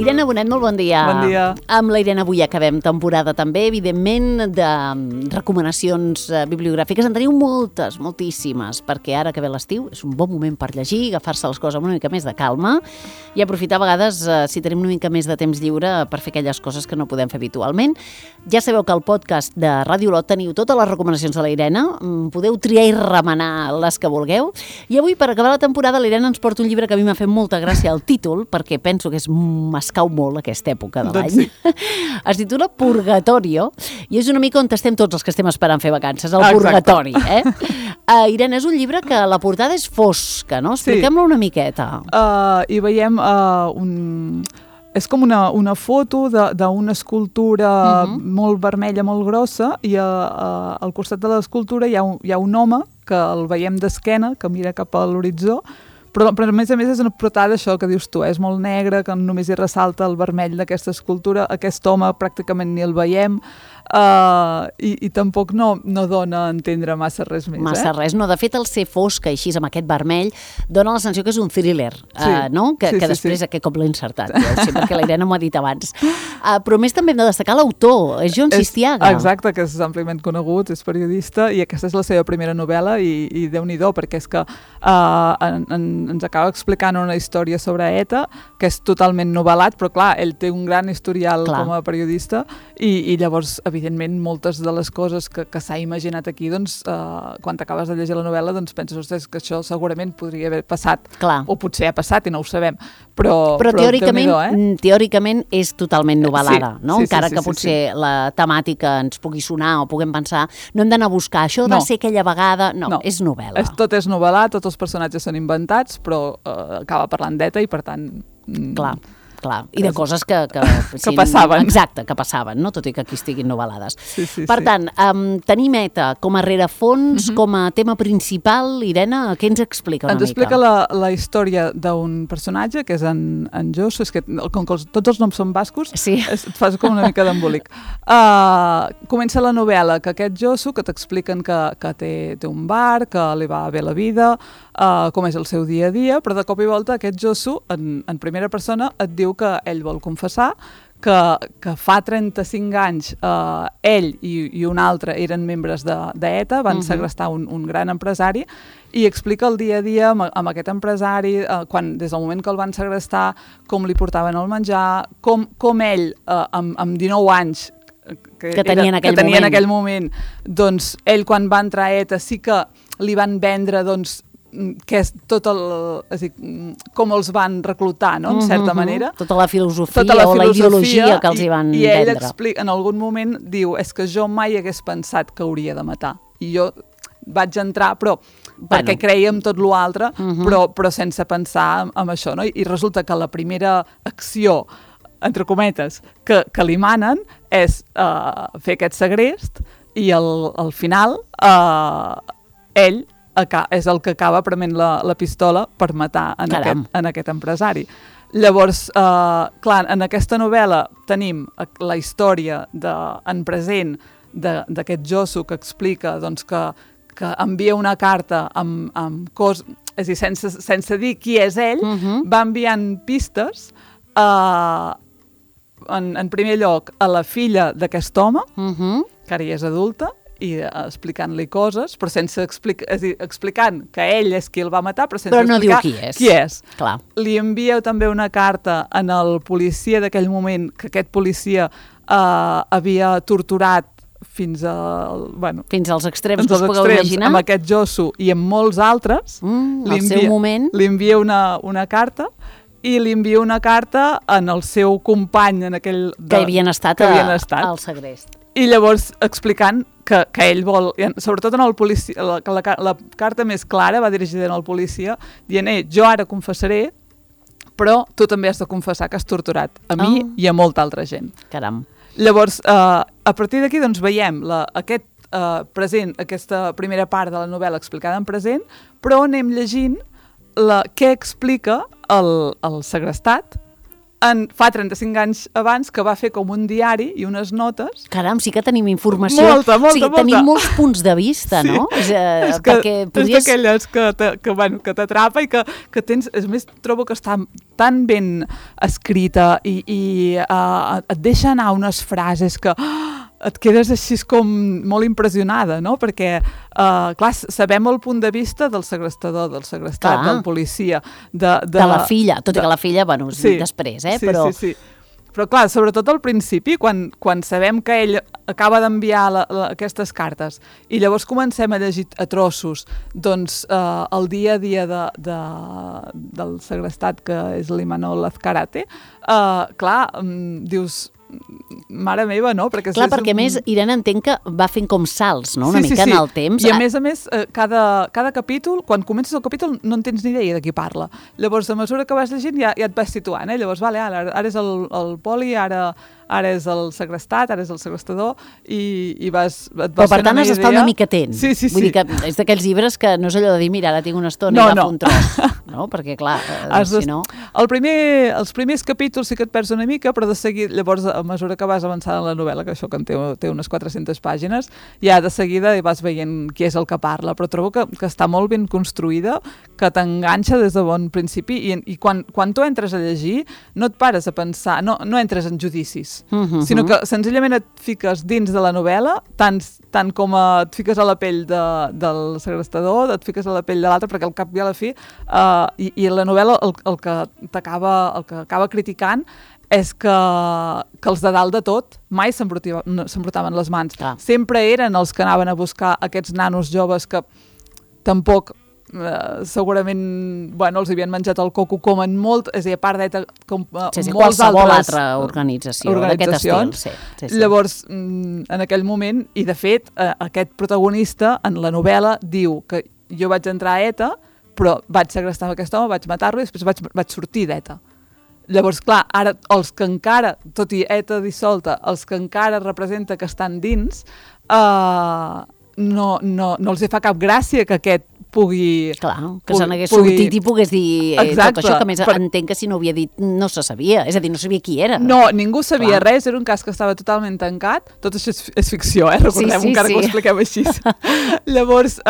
Irene Bonet, molt bon dia. Bon dia. Amb la Irene avui acabem temporada també, evidentment, de recomanacions bibliogràfiques. En teniu moltes, moltíssimes, perquè ara que ve l'estiu és un bon moment per llegir, agafar-se les coses amb una mica més de calma i aprofitar a vegades, si tenim una mica més de temps lliure, per fer aquelles coses que no podem fer habitualment. Ja sabeu que al podcast de Ràdio Olot teniu totes les recomanacions de la Irene, podeu triar i remenar les que vulgueu. I avui, per acabar la temporada, la Irene ens porta un llibre que a mi m'ha fet molta gràcia al títol, perquè penso que m'escau molt aquesta època de l'any. Sí. Es titula Purgatorio i és una mica on estem tots els que estem esperant fer vacances, el purgatori. Irene, és un llibre que la portada és fosca, no? Expliquem-la una miqueta. I veiem és com una foto d'una escultura molt vermella, molt grossa, i al costat de l'escultura hi ha un home que el veiem d'esquena, que mira cap a l'horitzó, però a més és una portada això que dius tu, és molt negra, que només hi ressalta el vermell d'aquesta escultura. Aquest home pràcticament ni el veiem, i tampoc no dona a entendre massa res més. Massa res, no. De fet, el ser fosc, així, amb aquest vermell, dona la sensació que és un thriller, no? Que després aquest cop l'he encertat, ja ho sé, perquè la Irene m'ho ha dit abans. Però més també hem de destacar l'autor, és Jon Sistiaga. Exacte, que és àmpliament conegut, és periodista, i aquesta és la seva primera novel·la, i Déu-n'hi-do, perquè és que ens acaba explicant una història sobre ETA, que és totalment novel·lat, però clar, ell té un gran historial com a periodista, i llavors, evidentment, moltes de les coses que s'ha imaginat aquí, doncs, quan t'acabes de llegir la novel·la, doncs penses, ostres, que això segurament podria haver passat, o potser ha passat i no ho sabem, però teòricament és totalment novel·lada, no? Encara que potser la temàtica ens pugui sonar o puguem pensar, no hem d'anar a buscar, això va ser aquella vegada, no, és novel·la. Tot és novel·lat, tots els personatges són inventats, però acaba parlant d'ETA i, per tant... Clar, i de coses que passaven. Exacte, que passaven, no? Tot i que aquí estiguin novel·lades. Per tant, tenim ETA com a rerefons, com a tema principal. Irene, què ens explica una mica? Ens explica la història d'un personatge, que és en Josu, és que com que tots els noms són bascos, et fas com una mica d'embolic. Comença la novel·la que aquest Josu, que t'expliquen que té un bar, que li va bé la vida, com és el seu dia a dia, però de cop i volta aquest Josu, en primera persona, et diu que ell vol confessar que fa 35 anys ell i un altre eren membres d'ETA, van segrestar un gran empresari, i explica el dia a dia amb aquest empresari, des del moment que el van segrestar, com li portaven el menjar, com ell, amb 19 anys, que tenia en aquell moment, doncs ell quan va entrar a ETA sí que li van vendre, doncs, que és tot com els van reclutar, no? En certa manera. Tota la filosofia o la ideologia que els hi van vendre. I ell explica, en algun moment diu, és que jo mai hagués pensat que hauria de matar. I jo vaig entrar, però perquè creia en tot l'altre, però sense pensar en això, no? I resulta que la primera acció, entre cometes, que li manen és fer aquest segrest, i al final ell és el que acaba prement la pistola per matar en aquest empresari. Llavors, clar, en aquesta novel·la tenim la història en present d'aquest Josu que explica que envia una carta amb cos, és a dir, sense dir qui és ell, va enviant pistes en primer lloc a la filla d'aquest home, que ara ja és adulta, i explicant-li coses, però sense explicant que ell és qui el va matar, però sense explicar qui és. Clar. Li envia també una carta al policia d'aquell moment, que aquest policia havia torturat fins als extrems que us pugueu imaginar. Amb aquest Josu i amb molts altres. Al seu moment. Li envia una carta, i li envia una carta al seu company que havien estat al segrest. I llavors explicant que ell vol, sobretot en el policia, la carta més clara va dirigida al policia, dient, jo ara confessaré, però tu també has de confessar que has torturat a mi i a molta altra gent. Caram. Llavors, a partir d'aquí doncs veiem aquest present, aquesta primera part de la novel·la explicada en present, però anem llegint què explica el segrestat fa 35 anys abans, que va fer com un diari i unes notes. Caram, sí que tenim informació. Molta. Tenim molts punts de vista, no? És d'aquelles que t'atrapa i que tens... És més, trobo que està tan ben escrita i et deixa anar unes frases que et quedes així com molt impressionada, no? Perquè, clar, sabem el punt de vista del segrestador, del segrestat, del policia, de la filla, tot i que la filla, bueno, després, però... Sí. Però, clar, sobretot al principi, quan sabem que ell acaba d'enviar aquestes cartes i llavors comencem a llegir a trossos doncs, el dia a dia del segrestat, que és l'Imanol Azcárate, clar, dius... Mare meva, no? Perquè a més, Irene, entenc que va fent com salts, no? Una mica en el temps. I a més, cada capítol, quan comences el capítol, no en tens ni idea de qui parla. Llavors, a mesura que vas llegint, ja et vas situant, eh? Llavors, vale, ara és el poli, ara és el segrestat, ara és el segrestador, i vas però per tant has d'estar una mica atent. Sí. Vull dir que és d'aquells llibres que no és allò de dir, mira, ara tinc una estona i agafo un tros. No? Perquè, clar, si no... Els primers capítols sí que et perds una mica, però de seguida, llavors, a mesura que vas avançant en la novel·la, que això que té unes 400 pàgines, ja de seguida vas veient qui és el que parla, però trobo que està molt ben construïda, que t'enganxa des de bon principi, i quan tu entres a llegir, no et pares a pensar, no entres en judicis, sinó que senzillament et fiques dins de la novel·la, tant com et fiques a la pell del segrestador, et fiques a la pell de l'altre, perquè al cap i a la fi, i la novel·la el que acaba criticant és que els de dalt de tot mai s'embrutaven les mans. Sempre eren els que anaven a buscar aquests nanos joves que tampoc segurament els havien menjat el coco com en molt, és a dir, a part d'ETA com molts altres altra organització d'aquest estil. Sí. Llavors, en aquell moment, i de fet aquest protagonista en la novel·la diu que jo vaig entrar a ETA, però vaig segrestar aquest home, vaig matar-lo i després vaig sortir d'ETA. Llavors, clar, ara els que encara, tot i ETA dissolta, els que encara representa que estan dins, no els fa cap gràcia que aquest pugui... Clar, que se n'hagués sortit i pogués dir tot això, que a més entenc que si no havia dit no se sabia, és a dir, no sabia qui era. No, ningú sabia res, era un cas que estava totalment tancat, tot això és ficció, recordem, encara que ho expliquem així. Llavors,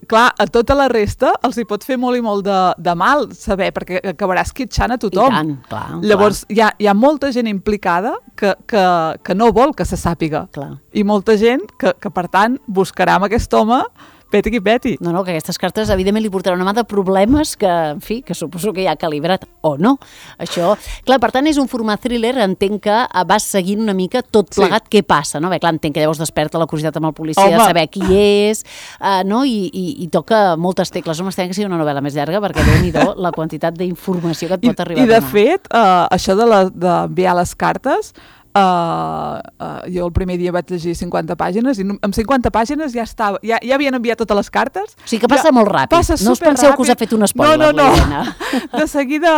clar, a tota la resta els hi pot fer molt i molt de mal saber, perquè acabaràs quitxant a tothom. I tant, clar. Llavors, hi ha molta gent implicada que no vol que se sàpiga. Clar. I molta gent que, per tant, buscarà amb aquest home peti qui peti. No, que aquestes cartes evidentment li portaran una mà de problemes que, en fi, que suposo que ja ha calibrat o no. Això, clar, per tant, és un format thriller, entenc que vas seguint una mica tot plegat què passa, no? Bé, clar, entenc que llavors desperta la curiositat amb el policia de saber qui és, no? I toca moltes tecles. No m'estranya que sigui una novel·la més llarga, perquè déu-n'hi-do la quantitat d'informació que et pot arribar a donar. I, de fet, això d'enviar les cartes, jo el primer dia vaig llegir 50 pàgines i amb 50 pàgines ja havien enviat totes les cartes. O sigui que passa molt ràpid. No us penseu que us ha fet un spoiler, no. De seguida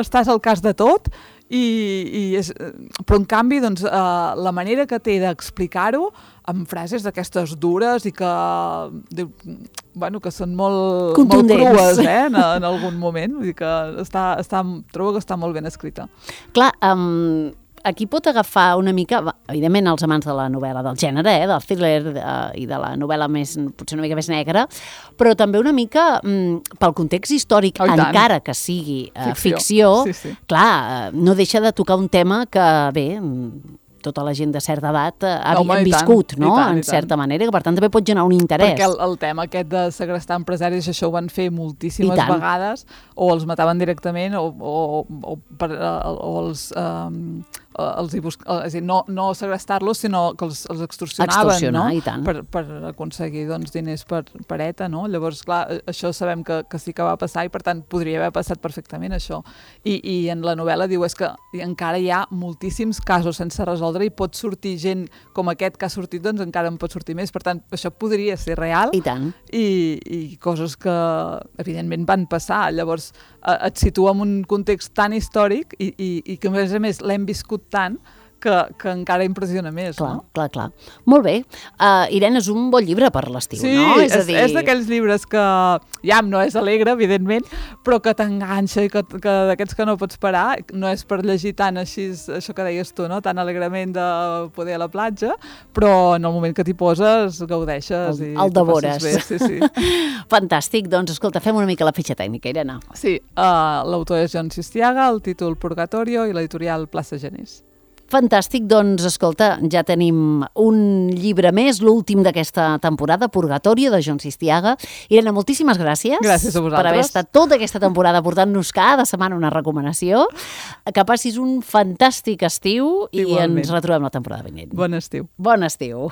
estàs al cas de tot però en canvi doncs, la manera que té d'explicar-ho amb frases d'aquestes dures i que són molt crues en algun moment. Vull dir que trobo que està molt ben escrita. Clar, aquí pot agafar una mica, evidentment, els amants de la novel·la del gènere, del thriller i de la novel·la potser una mica més negra, però també una mica pel context històric, encara que sigui ficció, clar, no deixa de tocar un tema que, bé, tota la gent de certa edat havien viscut, no? En certa manera, que per tant també pot generar un interès. Perquè el tema aquest de segrestar empresaris, això ho van fer moltíssimes vegades, o els mataven directament, o és a dir, no segrestar-los, sinó que els extorsionaven, no? Per aconseguir diners per ETA, no? Llavors, clar, això sabem que sí que va passar i, per tant, podria haver passat perfectament això. I en la novel·la diu és que encara hi ha moltíssims casos sense resoldre i pot sortir gent com aquest que ha sortit, doncs encara en pot sortir més. Per tant, això podria ser real. I tant. I coses que, evidentment, van passar. Llavors, et situa en un context tan històric i que, a més l'hem viscut tant que encara impressiona més, clar, no? Clar. Molt bé. Irene, és un bon llibre per l'estiu, no? Sí, és d'aquells llibres que ja no és alegre, evidentment, però que t'enganxa i que d'aquests que no pots parar. No és per llegir tant així, això que deies tu, no? Tan alegrement de poder a la platja, però en el moment que t'hi poses gaudeixes i el devores. Bé. Sí. Fantàstic. Doncs, escolta, fem una mica la fitxa tècnica, Irene. Sí, l'autor és John Sistiaga, el títol Purgatorio i l'editorial Plaça Genís. Fantàstic, doncs, escolta, ja tenim un llibre més, l'últim d'aquesta temporada, Purgatorio, de John Sistiaga. Irene, moltíssimes gràcies. Gràcies a vosaltres. Per haver estat tota aquesta temporada portant-nos cada setmana una recomanació. Que passis un fantàstic estiu i ens retrobem la temporada vinent. Bon estiu. Bon estiu.